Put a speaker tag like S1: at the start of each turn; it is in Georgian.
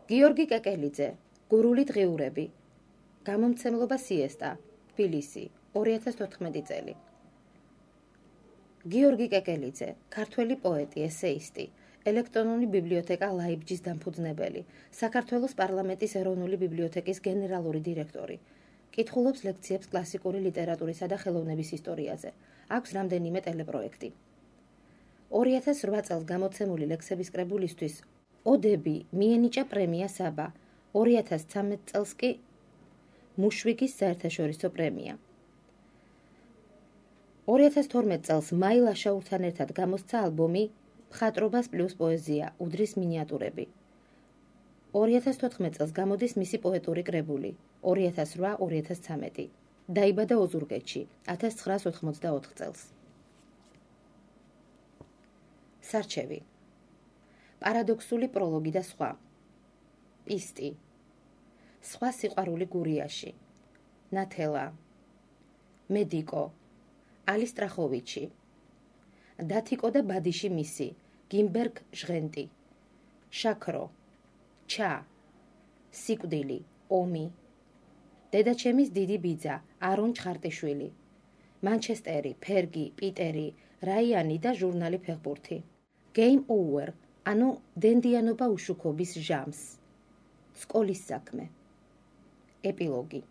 S1: გიორგი კეკელიძე, გურული დღიურები, გამომცემლობა სიესტა, თბილისი, 2014 წელი. გიორგი კეკელიძე, ქართველი პოეტი, ესეისტი, ელექტრონული ბიბლიოთეკა ლაიბჯის დამფუძნებელი, საქართველოს პარლამენტის ეროვნული ბიბლიოთეკის გენერალური დირექტორი. კითხულობს ლექციებს კლასიკური ლიტერატურისა და ხელოვნების ისტორიაზე. აქვს რამდენიმე ტელეპროექტი. 2008 წელს გამოცემული ლექსების კრებულისთვის ოდები მიენიჭა პრემია საბა, 2013 წელს კი მუშვიგის საერთაშორისო პრემია. 2012 წელს მაი ლაშაურთან ერთად გამოსცა ალბომი მხატვრობას პლუს პოეზია, უდრის მინიატურები. 2014 წელს გამოდის მისი პოეტური კრებული 2008-2013. დაიბადა ოზურგეთში 1984 წელს. სარჩევი. პარადოქსული პროლოგი და სხვა. პისტი. სხვა სიყვარული გურიაში. ნათელა. მედიკო. ალი სტრახოვიჩი. დათიკო და ბადიში მისი. გიმბერგ ჟღენტი. შაქრო. ჩა. სიკვდილი. ომი. დედაჩემის დიდი ბიძა, არონ ჩხარტიშვილი. მანჩესტერი, ფერგი, პიტერი, რაიანი და ჟურნალი ფეხბურთი. Game over, ანუ დენდიანობა უშუქობის ჟამს. სკოლის საქმე. ეპილოგი.